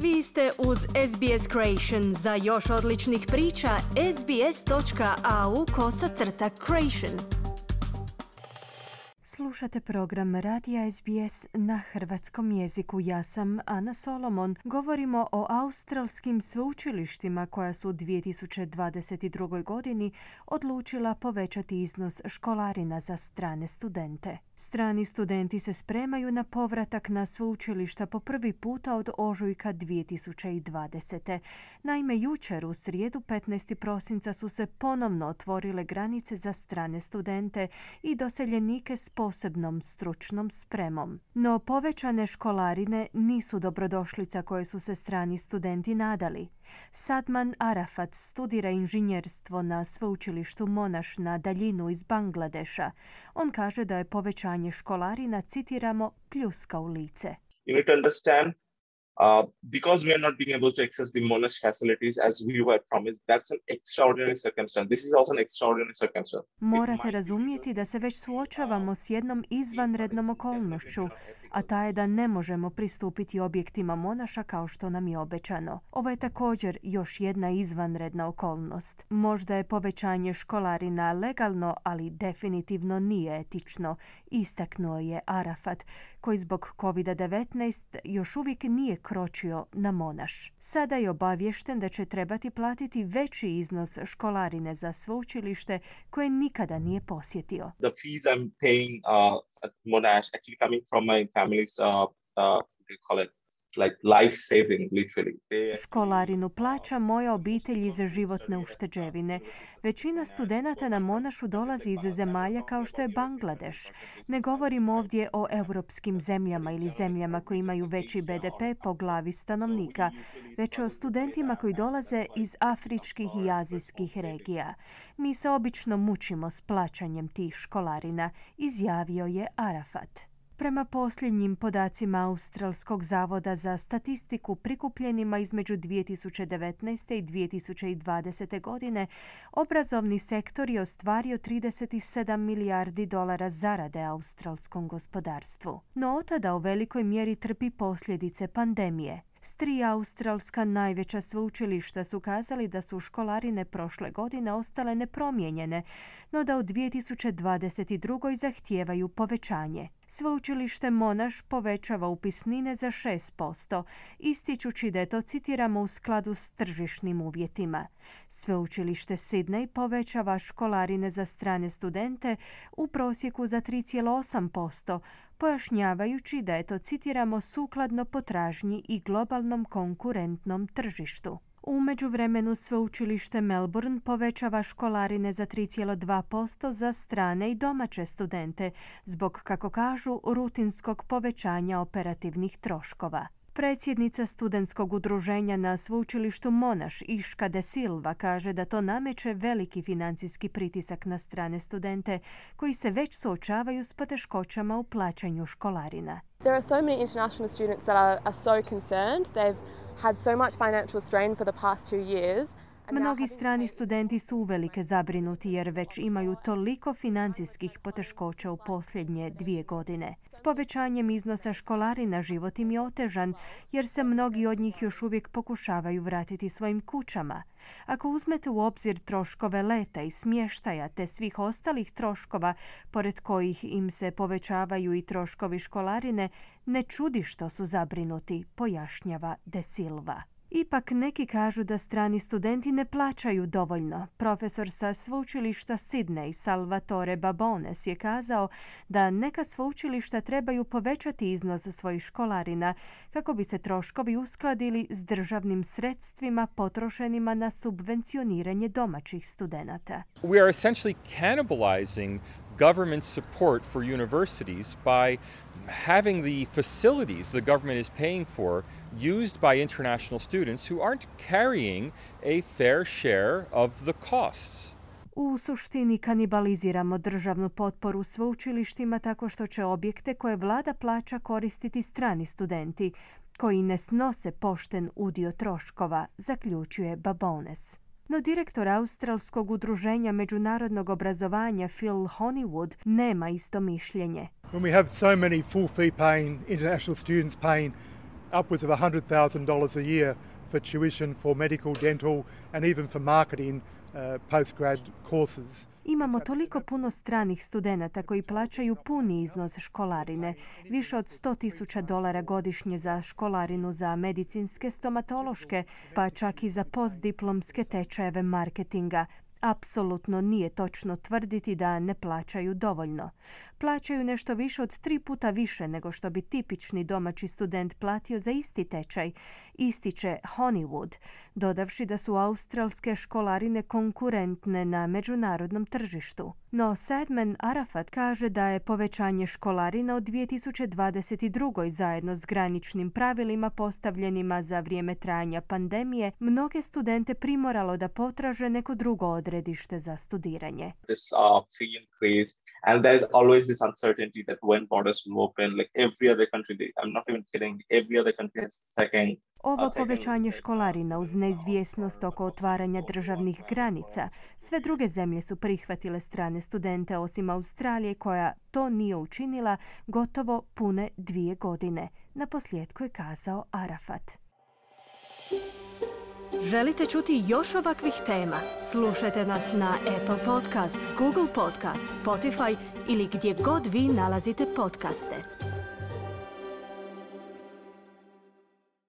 Vi ste uz SBS Creation. Za još odličnih priča, sbs.au/creation. Slušate program Radija SBS na hrvatskom jeziku. Ja sam Ana Solomon. Govorimo o australskim sveučilištima koja su u 2022. godini odlučila povećati iznos školarina za strane studente. Strani studenti se spremaju na povratak na sveučilišta po prvi puta od ožujka 2020. Naime, jučer u srijedu 15. prosinca su se ponovno otvorile granice za strane studente i doseljenike s posebnom stručnom spremom. No povećane školarine nisu dobrodošlica koje su se strani studenti nadali. Sadman Arafat studira inženjerstvo na sveučilištu Monash na daljinu iz Bangladeša. On kaže da je povećanje školarina, citiramo, pljuska u lice. You need to understand, because we are not being able to access the Monash facilities as we were promised, that's an extraordinary circumstance. This is also an extraordinary circumstance. Morate razumjeti da se već suočavamo s jednom izvanrednom okolnošću, a ta je da ne možemo pristupiti objektima Monaša kao što nam je obećano. Ovo je također još jedna izvanredna okolnost. Možda je povećanje školarina legalno, ali definitivno nije etično, istaknuo je Arafat, koji zbog COVID-19 još uvijek nije kročio na Monash. Sada je obaviješten da će trebati platiti veći iznos školarine za sveučilište koje nikada nije posjetio. The fees I'm paying at Monash actually coming from my family's like life saving, literally. Školarinu plaća moja obitelj iz životne ušteđevine. Većina studenata na Monašu dolazi iz zemalja kao što je Bangladeš. Ne govorim ovdje o europskim zemljama ili zemljama koji imaju veći BDP po glavi stanovnika, već o studentima koji dolaze iz afričkih i azijskih regija. Mi se obično mučimo s plaćanjem tih školarina, izjavio je Arafat. Prema posljednjim podacima Australskog zavoda za statistiku prikupljenima između 2019. i 2020. godine, obrazovni sektor je ostvario 37 milijardi dolara zarade australskom gospodarstvu. No od tada u velikoj mjeri trpi posljedice pandemije. S 3 australska najveća sveučilišta su kazali da su školarine prošle godine ostale nepromijenjene, no da u 2022. zahtijevaju povećanje. Sveučilište Monash povećava upisnine za 6%, ističući da je to, citiramo, u skladu s tržišnim uvjetima. Sveučilište Sydney povećava školarine za strane studente u prosjeku za 3,8%, pojašnjavajući da je to, citiramo, sukladno potražnji i globalnom konkurentnom tržištu. U međuvremenu sveučilište Melbourne povećava školarine za 3,2% za strane i domaće studente, zbog, kako kažu, rutinskog povećanja operativnih troškova. Predsjednica studentskog udruženja na sveučilištu Monash, Ishka De Silva, kaže da to nameće veliki financijski pritisak na strane studente koji se već suočavaju s poteškoćama u plaćanju školarina. There are so many international students that are so concerned. They've had so much financial strain for the past 2 years. Mnogi strani studenti su uvelike zabrinuti jer već imaju toliko financijskih poteškoća u posljednje 2 godine. S povećanjem iznosa školarina život im je otežan jer se mnogi od njih još uvijek pokušavaju vratiti svojim kućama. Ako uzmete u obzir troškove leta i smještaja te svih ostalih troškova, pored kojih im se povećavaju i troškovi školarine, ne čudi što su zabrinuti, pojašnjava De Silva. Ipak neki kažu da strani studenti ne plaćaju dovoljno. Profesor sa sveučilišta Sydney, Salvatore Babones, je kazao da neka sveučilišta trebaju povećati iznos svojih školarina kako bi se troškovi uskladili s državnim sredstvima potrošenima na subvencioniranje domaćih studenata. We are essentially cannibalizing government support for universities by having the facilities the government is paying for used by international students who aren't carrying a fair share of the costs. U suštini kanibaliziramo državnu potporu sveučilištima tako što će objekte koje vlada plaća koristiti strani studenti, koji ne snose pošten udio troškova, zaključuje Babones. No direktor Australskog udruženja međunarodnog obrazovanja Phil Honeywood nema isto mišljenje. When we have so many full fee paying international students paying upwards of $100,000 a year for tuition, for medical, dental, and even for marketing postgrad courses. Imamo toliko puno stranih studenata koji plaćaju puni iznos školarine, više od $100,000 godišnje za školarinu za medicinske, stomatološke, pa čak i za postdiplomske tečajeve marketinga. Apsolutno nije točno tvrditi da ne plaćaju dovoljno. Plaćaju nešto više od 3 puta više nego što bi tipični domaći student platio za isti tečaj, ističe Honeywood, dodavši da su australske školarine konkurentne na međunarodnom tržištu. No Sadman Arafat kaže da je povećanje školarina od 2022. zajedno s graničnim pravilima postavljenima za vrijeme trajanja pandemije mnoge studente primoralo da potraže neko drugo odredište za studiranje. This free increase, and there's always this uncertainty that when borders will open, like every other country, I'm not even kidding, every other country is taking. Ovo povećanje školarina uz neizvjesnost oko otvaranja državnih granica. Sve druge zemlje su prihvatile strane studente osim Australije koja to nije učinila gotovo pune 2 godine. Naposljetku je kazao Arafat. Želite čuti još ovakvih tema? Slušajte nas na Apple Podcast, Google Podcast, Spotify ili gdje god vi nalazite podcaste.